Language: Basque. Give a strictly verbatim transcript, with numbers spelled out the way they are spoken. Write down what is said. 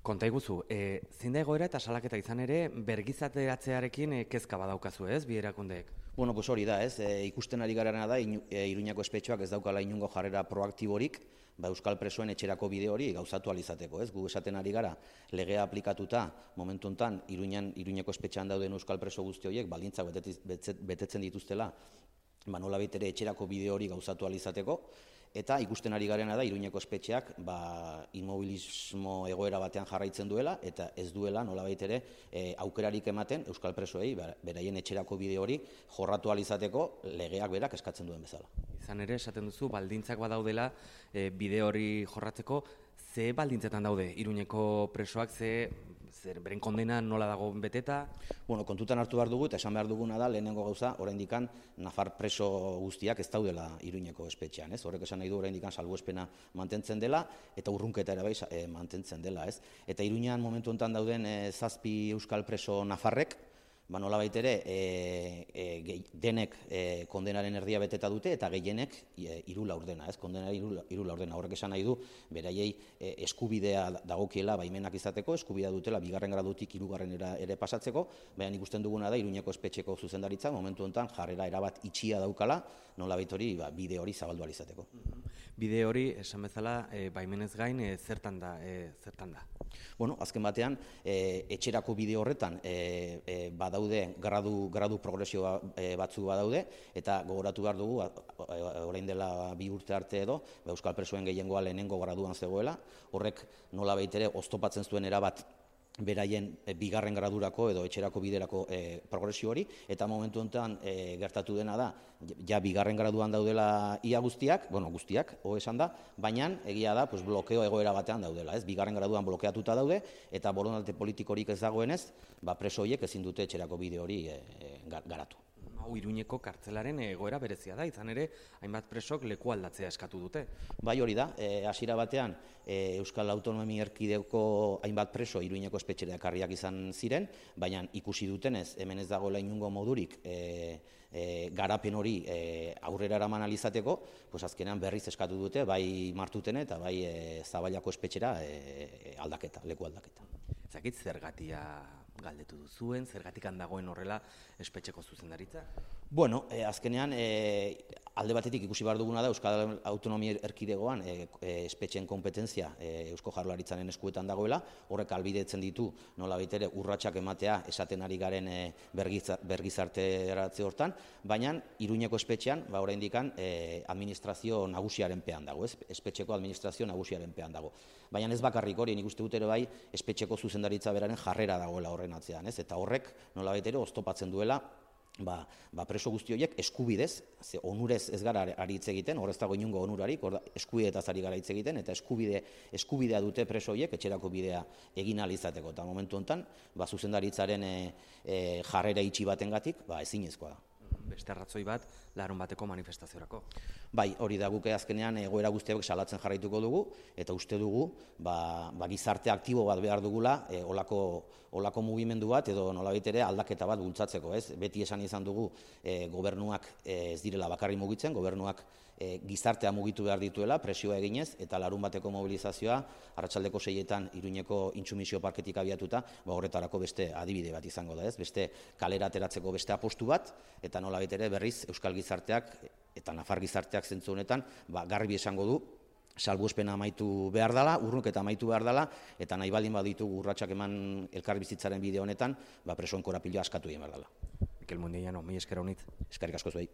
Konta iguzu, e, zein da egoera eta salaketa izan ere, bergizateratzearekin e, kezka badaukazu ez, bi erakundeek? Bueno, pues hori da, ez, e, ikusten ari garena da, inu, e, Iruñako espetxoak ez daukala inungo jarrera proaktiborik, ba, euskal presoen etxerako bide hori gauzatu alizateko, ez? Gu esaten ari gara, legea aplikatuta, momentu hontan Iruñan, Iruñako espetxean dauden euskal preso guzti horiek, baldintzak betetzen dituztela, ba, nolabait ere etxerako bide hori gauzatu alizateko, eta ikusten ari garena da Iruñeko espetxeak ba, inmobilismo egoera batean jarraitzen duela, eta ez duela nolabait ere e, aukerarik ematen euskal presoei beraien etxerako bide hori jorratu alizateko legeak berak eskatzen duen bezala. Izan ere, esaten duzu, baldintzak badaudela e, bide hori jorratzeko, ze baldintzetan daude Iruñeko presoak, ze zer, beren kondena nola dago beteta? Bueno, kontutan hartu behar dugu eta esan behar duguna da, lehenengo gauza, oraindikan nafar preso guztiak ez daudela Iruñeko espetxean, ez? Horrek esan nahi du oraindikan salbuespena mantentzen dela eta urrunketa ere bai e, mantentzen dela, ez? Eta Iruñan momentu honetan dauden e, zazpi euskal preso nafarrek, ba nolabait ere e, e, denek e, kondenaren erdia beteta dute eta gehienek e, hiru laurdena, ez? Kondenari hiru laurdena. Horrek esan nahi du beraiei e, eskubidea dagokiela baimenak izateko, eskubidea dutela bigarren gradutik hirugarrenera ere pasatzeko, baina ikusten duguna da Iruñeko espetxeko zuzendaritza momentu honetan jarrera erabat itxia daukala, nolabait hori ba, bide hori zabaldu ahal izateko. Bide hori, esan bezala, e, baimenez gain, e, zertan da, e, zertan da? Bueno, azken batean, e, etxerako bide horretan e, e, badaude gradu, gradu progresio e, batzu badaude, eta gogoratu behar dugu, orain dela bi urte arte edo, ba, euskal presoen gehiengoa lehenengo graduan zegoela, horrek nolabait ere oztopatzen zuen erabat beraien bigarren gradurako edo etxerako biderako e, progresio hori, eta momentu honetan e, gertatu dena da, ja bigarren graduan daudela ia guztiak, bueno, guztiak, ho esan da, baina egia da, pues, blokeo egoera batean daudela, ez? Bigarren graduan blokeatuta daude, eta borondate politikorik ez dagoenez, ba, preso horiek ezin dute etxerako bide hori e, e, garatu. Hau Iruñeko kartzelaren egoera berezia da, izan ere, hainbat presok leku aldatzea eskatu dute. Bai hori da, hasiera e, batean e, Euskal Autonomia Erkidegoko hainbat preso Iruñeko espetxera ekarriak izan ziren, baina ikusi dutenez, hemen ez dagoela inungo modurik e, e, garapen hori e, aurrera eraman alizateko, pues azkenean berriz eskatu dute, bai Martutene eta bai e, Zaballako espetxera e, aldaketa, leku aldaketa. Zakit zergatia galdetu duzuen, zergatik handagoen horrela espetxeko zuzendaritza? Bueno, eh, azkenean eh, alde batetik ikusi behar duguna da Euskal Autonomia Erkidegoan eh, eh, espetxeen kompetentzia eh, Eusko Jaurlaritzaren eskuetan dagoela, horrek albidetzen ditu nolabait ere urratsak ematea esaten ari garen eh, bergizarteratze hortan, baina Iruñeko espetxean ba oraindikan eh, administrazio nagusiaren pean dago, ez? Espetxeko administrazio nagusiaren pean dago. Baina ez bakarrik hori, nik uste dut ere bai espetxeko zuzendaritza beraren jarrera dagoela horren atzean, ez? Eta horrek nolabait ere oztopatzen duela Ba, ba preso guzti horiek eskubidez, ze onurez ez gara ari hitz egiten, hor ez dago inungo onurarik, hor eskubideetaz ari gara hitz egiten, eta eskubide, eskubidea dute preso horiek etxerako bidea egin ahal izateko. Eta momentu honetan, ba, zuzendaritzaren e, e, jarrera itxi batengatik, ba, ezinezkoa da. Beste arratzoi bat, larun bateko manifestaziorako. Bai, hori da guke azkenean egoera guztiak salatzen jarraituko dugu, eta uste dugu ba, ba, gizarte aktibo bat behar dugula e, olako, olako mugimendu bat edo nolabait ere aldaketa bat bultzatzeko. Ez? Beti esan izan dugu e, gobernuak e, ez direla bakarri mugitzen, gobernuak e, gizartea mugitu behar dituela, presioa eginez, eta larun bateko mobilizazioa, arratsaldeko seietan Iruñeko intsumisio parketik abiatuta, ba, horretarako beste adibide bat izango da, ez? Beste kalera ateratzeko beste apostu bat, eta nolabait ere berriz Euskal gizarteak eta Nafar gizarteak zentzu honetan ba, garbi esango du salbuespena amaitu behar dela, urrunketa amaitu behar dela, eta nahi baldin baditugu urratsak eman elkarbizitzaren bide honetan, ba, presoen korapiloa askatu egin behar dela. Mikel Mundiano, mi esker honitz. Eskerrik asko zuei.